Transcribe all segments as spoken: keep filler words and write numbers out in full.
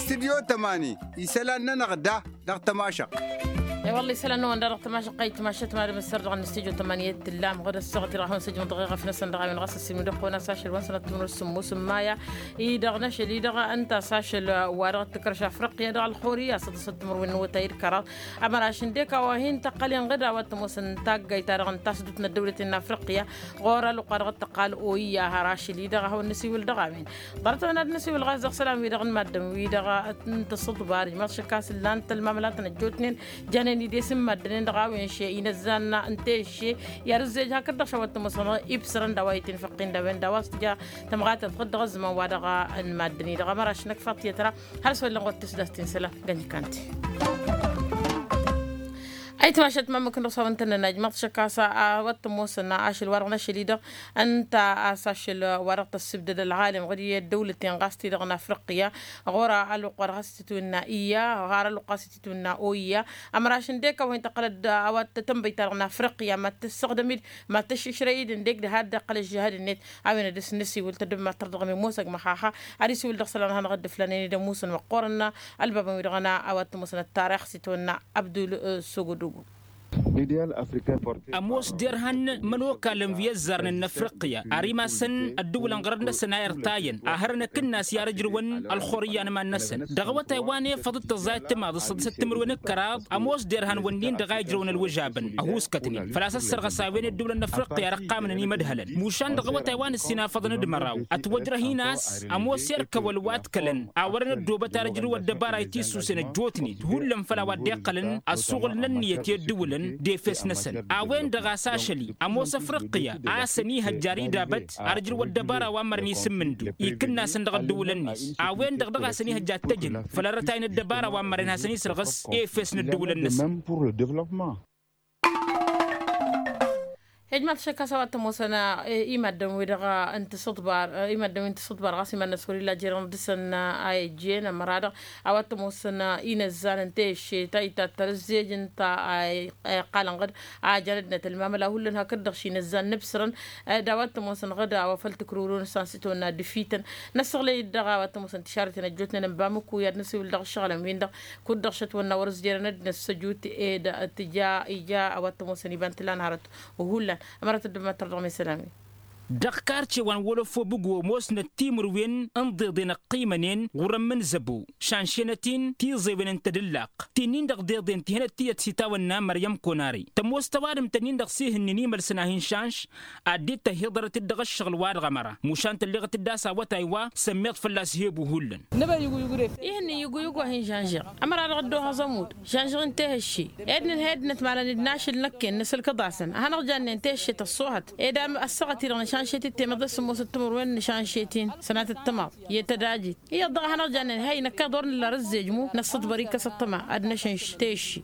Studyo tămani isălan-nănăɣ da dăɣ-tămašăɣt. I-wălla isălan-năwăn da dăɣ-tămašăɣt a itmašăt madăm ăssăr dăɣ-năstudyo tămani i-tǝllam ɣud ăssaɣăt-i-dăɣ a hawăn-săjmăḍ dăɣ-eɣăf-năsăn dăɣ-a-wen ɣas ăssiilmǝd ăqqonas ašăl wa n-sănăt timǝrwǝn s-sǝmmos n-maya. I-dăɣ n-ašăl-i-dăɣ ǝnta a-s ašăl wa dăɣ-t tǝkrăš afriqya dăɣ-ălxurǝy a-s ăḍḍăsăt timǝrwen n-awătay d-kăraḍ. Ămăraš ǝndek a-wa hin-tăqqăl inɣǝd a-wa t-ămoosăn taggayt-ta-dăɣ n-tasdut n-ăddăwlăt-in n-afriqya ɣur-ălwăqq wa dăɣ-t tăqqal oya har ašăl-i-dăɣ a hawăn-năsiwǝl dăɣ-a-wen. Ḍarăt-a-wen ad-năsiwǝl ɣas dăɣ-isălan-wi-dăɣ n-maddǝn-wi-dăɣ n-tǝssǝḍbar ijmaḍ šăkkas ǝllan-t ălmamălatăn ăjjootnen janen-dd i-s n-maddǝn-en-dăɣ a-wen še inăzzan n-tešše i-ad-ǝzzej hakd-dăɣ šawăt tămoosăn ibsărăn d-a-wa itinfăqqin d-a-wen d-a-wa s-tǝja tămɣatăt ɣǝd dăɣ-ăzzǝman-wa-dăɣ n-maddǝn-i-dăɣ ămăraš năkfăḍ tiyyăt ra. Hal s-wăllăn ɣur-tǝsdast-in isălan gănjǝkkan-ti. Ayǝtmašăt ma ǝmmǝk-năɣ s-a-wa ǝntănnăn ajmăḍ šăkkas a-wa t-ămoosăn ašăl-wa-dăɣ n-ašăl-i-dăɣ ǝnta a-s ašăl-wa-dăɣ tăssibdăd ălɣalem ɣǝd i-ăddăwlăten ɣas ti-dăɣ n-afriqya ɣur-ălwăqq wa dăɣ-s tǝtwǝnna iyya ɣar ălwăqq wa s-tǝtwǝnna oyya. Ămăraš ǝndek a-wa hin-tăqqălăd a-wa t-tănbăyt-ta-dăɣ n-afriqya mad-tǝssăɣdăm-dd mad-tăššǝšrăy-dd ǝndek d-had-dd-iqqăl ăžžăhăd-net. A-wen ad-dăɣ-s nǝsiwǝl tăddǝbmat tărdăɣ mi-musăg măxaxa ad-isiwǝl dăɣ-isălan ad-hanăɣ-dd-ǝflanen d-ămuusăn măqqoorăn ălbabăn-wi-dăɣ n-a-wa t-ămoosăn ăttarix s-itwănna abdul sogodogo. Ămoos derhan mănokalăn wi ăzzarnen n-afriqya ar imasăn ăddǝwǝlăn ɣărăt-năsăn a irtayăn a hărăn akǝnnas i-ad-ǝjrǝwăn ălxur iyyăn iman-năsăn. Dăɣ-awătay wa n-efăḍ d-tăẓẓayăt timaḍ s-săḍisăt timǝrwen d-kăraḍ ămoos derhan wănnin-dăɣ a ijrăwăn ălwǝžabăn ăhuuskătnen făl-a-s ăssărɣăs a-wen i-ăddǝwǝlăn n-afriqya ar ăqqamnăn imădhălăn. Mušan dăɣ-awătay wa n-ǝssin afăḍăn d-măraw ătwăjrăh-in a-s ămoos erkăwăl wa t-kălăn awărăn ăddoobăt ar ǝjrǝw ăddăbara itisusen ăjjootnen hullan făll-a-wa dd-iqqălăn ăssuɣǝl n-ǝnniyăt i-ăddǝwǝlăn d-efes-năsăn. A-wen-dăɣ a-s ašăl-i ămoos afriqya a-s ănihăjja ar idabăt ar ǝjrǝw ăddăbara wa n-mărăn isǝmmǝndǝw ikǝnnasăn dăɣ-ăddǝwǝlăn-net. A-wen-dăɣ dăɣ-a-s ănihăjja ad-t-ăjǝn făll-arătay n-ăddăbara wa n-mărăn hasăn-isrăɣǝs efes n-ăddǝwǝlăn-năsăn. Ijmaḍ šăkkas a-wa t-ămoosăn i-maddǝn-wi-dăɣ n-tǝssǝḍbar i-maddǝn-wi n-tǝssǝḍbar ɣas iman-năs wăr-illa jer-inḍǝsăn a ijjen ămăra-dăɣ a-wa t-ămoosăn inăzzan n-tešše ta itattăr ǝzzej ǝnta a iqqal ănɣăd a jan ăddinăt ălmamăla hullan hakd-dăɣ šinăzzan n-ǝbsărăn. D-a-wa t-ămoosăn ɣǝd a-wa făl tǝkrǝwrǝw n-ǝssan s-itwănna d-ǝfităn. Năssăɣlăy-dd dăɣ-a-wa t-ămoosăn tišarrăten ăjjootnen n-bamǝku i-ad-nǝsiwǝl dăɣ-ǝššăɣǝlăn-win-dăɣ kud-dăɣ šătwănna wăr-ǝzjerăn ăddinăt s-ăjut ed tǝja ija a-wa t-ămoosăn iba n-tǝla n-hărăt. Hullan ămăra tăddǝm măttăr dăɣ-mesălan-wi. Dăɣ-karce wa n-wălăfo bǝgo ămoosnăt timǝrwen n-iḍeḍen ăqqimănen ɣur-ămmǝnzăbo šanšenăt-in tiẓewen n-tadǝllaqt ti-nin-dăɣ deḍen tihănăt tiyyăt s-itawănna măryăm konare tămoos tăwadǝmt-nin-dăɣ s-ihǝnnin imălsăn a hin-šanš. Ad-dd-tăhhiḍărăt-dd dăɣ-ǝššăɣǝl-wa-dăɣ ămăra mušan tălleɣăt-dd a-s awătay wa sămmeḍ fălla-s hebu hullan. Ihǝnnin yǝguyǝg wa hin-žănžăɣ ămăra-dăɣ dd-ohăẓ ămudd žănžăɣ-in tehǝšše ed nǝnhăy ăddinăt ma lăn-dd n-ašǝl năkken nǝsǝlkǝḍ-asăn ad-hanăɣ-jannen tehǝšše tăṣṣohăt ed ăssaɣăt-i-dăɣ nǝšanšet-dd temăḍe s-ămoosăt timǝrwen nǝšanšet-in sănatăt timaḍ i-tădajit. Iyyăḍ dăɣ-ad-hanăɣ-jannen hăynăkkeḍ wăr nǝlla ar ǝzzej mu năssăḍbăr-i kăs-ăṭṭăma ad-năšănš tešši.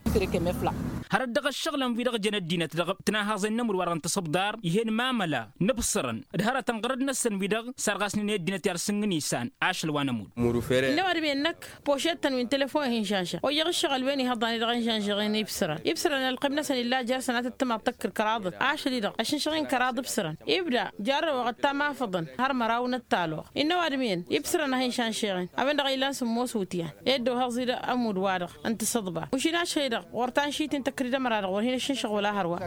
Hărăt dăɣ-ăššăɣǝlăn-wi-dăɣ jăn ăddinăt dăɣ-tǝnahăẓen n-ămud wa-dăɣ n-tisǝbḍar ih'-en mamăla n-ǝbsărăn d-hărătăn ɣărăt-năsăn wi-dăɣ sarɣasnen i-ăddinăt i-ad-sǝngǝn isan ašăl wa n-ămud. Innă ăwadǝm-en năkk pošet-tăn wi n-telefon hin-žănžăɣ oyyăɣ ǝššăɣǝl-wen ihăḍan-i-dăɣ n-žănžăɣ-en ibsărăn ibsărăn ălqim-năsăn illa jer-sănatăt timaḍ tăkkǝr kăraḍăt ašăl-i-dăɣ ăššǝnšăɣ-in kăraḍ ibsărăn ibda jarrăwăɣ ăttam afăḍăn har măraw n-ăttalăwăɣ. Innă ăwadǝm-en ibsărăn a hin-šanšeɣen a-wen-dăɣ a ilan sǝmmos wutyan ed d-ohăẓ-dd ămudd-wa-dăɣ n-tisǝḍba ušin ašăl-i-dăɣ ɣur-tanšit-in tăkkăr-dd ămăra-dăɣ wăr hin-ăššǝnšăɣ wăla hărwa.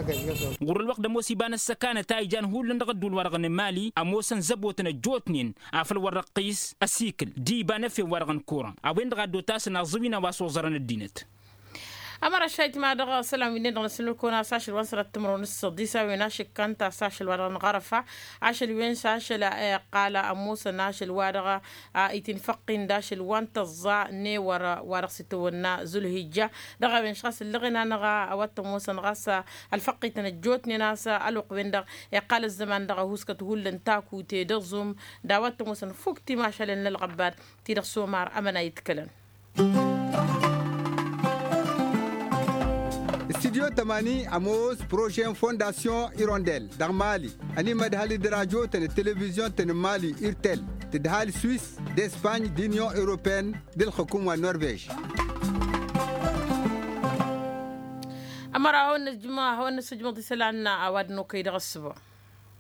Ɣur-ălwăqq d-ămoos iba n-ăssăkanăt a ijan hullan dăɣ-ădduul-wa-dăɣ n-emali ămoosăn zăbotăn ăjjootnen afăl wăr-răqqis ăsikǝl d-iba n-efew-wa-dăɣ n-kuran a-wen-dăɣ a dd-otasăn aẓǝwin a-wa s-oẓărăn ăddinăt. Ămăra šayt ma dăɣ-isălan wi-nen-dăɣ n-asǝnnǝl-kăwăn a-s ašăl wa n-sănat timǝrwen s-săḍis a-wen ašǝkkan ta s-ašăl wa dăɣ-năɣărăfa ašăl wen s-ašăl iqqal ămoosăn ašăl wa dăɣ-itinfăqqin d-ašăl wa n-tăẓẓa n-ewăr wa dăɣ-s itawănna zulhijja. Dăɣ-a-wen šăɣ-s ǝllăɣen-anăɣ a-wa t-ămoosăn ɣas ălfăqqităn ăjjootnen a-s ălwăqq-wen-dăɣ iqqal ăzzăman dăɣ-ăhuuskăt hullan takute d-aẓum d-a-wa t-ămoosăn fukk timašalen n-ălɣăbbad ti-dăɣ s-omar ămăna itkălăn. Studyo tămani ămoos prože n-fondasyon irondel dăɣ-mali ănimădhăl d-rajotăn d-televizyon-tăn n-mali irtel tǝdhal swis d-espany d-inyon europeyăn d-ǝlxǝkum wa n-norvej. Ămăra hawăn-năsǝjmăḍ isălan a-wa d-nokăy dăɣ-ăssǝba.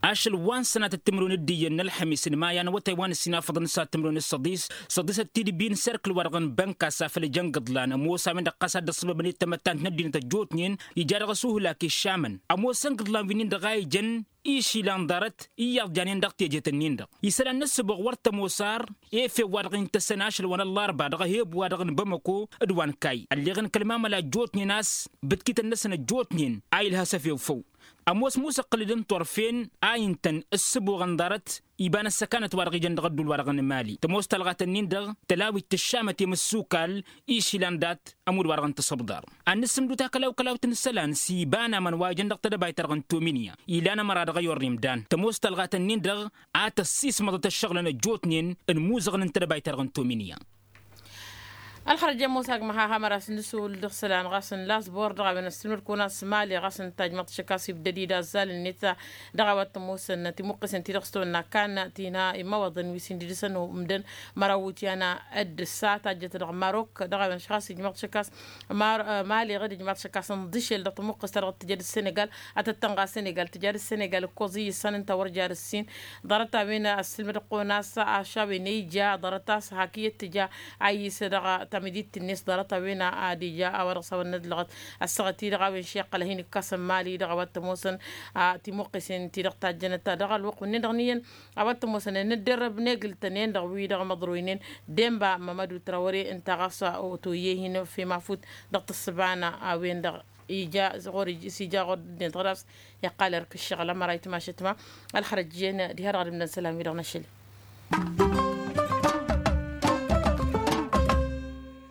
Ašăl wa n-sănatăt timǝrwen d-iyyăn n-ălxămis n-maya n-awătay wa n-ǝssin afăḍăn s-ad-timǝrwen s-săḍis săḍisăt tidǝbbi n-serkǝl-wa-dăɣ n-bănkas afăl ijăn gǝḍlan ămoos a-wen-dăɣ ɣas ad-dd-ăṣṣăbăbăn i-tamăttant n-ăddinăt ăjjootnen ija dăɣ-asuhlak iššamăn ămoosăn gǝḍlan wi-nin-dăɣ a ijăn išilan ḍarăt iyyăḍ janen dăɣ-tejet-nin-dăɣ isălan n-ǝssǝboɣ wăr tămoos ar efew wa dăɣ-intăsăn ašăl wa n-ăllarba dăɣ-eheb wa dăɣ-nǝbămăko d-wa n-kayy ălleɣ n-kăl-mamăla ăjjootnen a-s bǝtkităn-năsăn ăjjootnen a ilhas efew făw ămoos musăqqǝl-dd n-turfen a intăn ǝssǝboɣăn ḍarăt iba n-ăssăkanăt wa dăɣ-ijăn dăɣ-ădduul wa dăɣ-nǝmali tămoos talɣat-ǝnnin-dăɣ tălawit tǝššamăt i-mǝssukal išilan dat-ămudd wa dăɣ-nǝtǝsǝbḍar ad-nǝssǝmdǝw takălaw-kălawt n-isălan s-iba n-aman wa ijăn dăɣ-tedăbayt-ta-dăɣ n-tominya ilan ămăra dăɣ-ayorrem dan tămoos talɣat-ǝnnin-dăɣ a tăssismăḍăt ăššăɣǝlăn ăjjootnen n-imuzăɣăn n-tedăbayt-ta-dăɣ n-tominya. Ălxărăj i-ămoos agmăh a hamăr a-s nǝsul dăɣ-isălan ɣas n-lasbor dăɣ-a-wen ăssilmăd-kăwăn a-s mali ɣas ǝnta ǝjmăḍ tišăkkas ibdăd-dd azzal-net dăɣ-a-wa t-ămoosăn timuqqǝsen-ti-dăɣ s-tăwănna kan tinha imawăḍăn wi s-indǝdǝsăn umdăn măraw wutyan. D-ǝssa tajjăt dăɣ-marok dăɣ-a-wen ăššăɣas ijmăḍ tišăkkas mali ɣǝd ijmăḍ tišăkkas n-dăšel dăɣ-tămuqqǝst-ta-dăɣ tǝjăd s-senegal ad-tăt-tănɣa senegal tǝjad s-senegal ǝkkoẓ iyyǝsăn ǝnta wăr jad ǝssin ḍarăt-a-wen ăssilmăd-kăwăn a-s ašawen ija ḍarăt-as hak iyyăt tǝja a iyyǝs dăɣ-tamǝdit-net ḍarăt-a-wen ad-ija a-wa dăɣ-s hawăn-nădlăɣăt ăssaɣăt-i-dăɣ a-wen šiqqăl a hin-ikkasăn mali-dăɣ a-wa t-ămoosăn timuqqǝsen-ti-dăɣ tajjănăt dăɣ-ălwăqq-wǝnnin-dăɣ n-iyyăn a-wa t-ămoosăn ănnăddărrăb n-egǝl-tăn-en-dăɣ wi-dăɣ măḍroynen denba mămădu trawăre ǝnta ɣas otoyye hin-fi mafut dăɣ-tǝssǝba n-a-wen-dăɣ ija ɣur-ija s-ija ɣur-dd-net ɣur-a-s iqqal erk ǝššăɣǝl ămăra itmašăt ma ălxărăj iyyăn diha-dăɣ ad-ǝmdăn isălan-wi-dăɣ n-ašăl-i.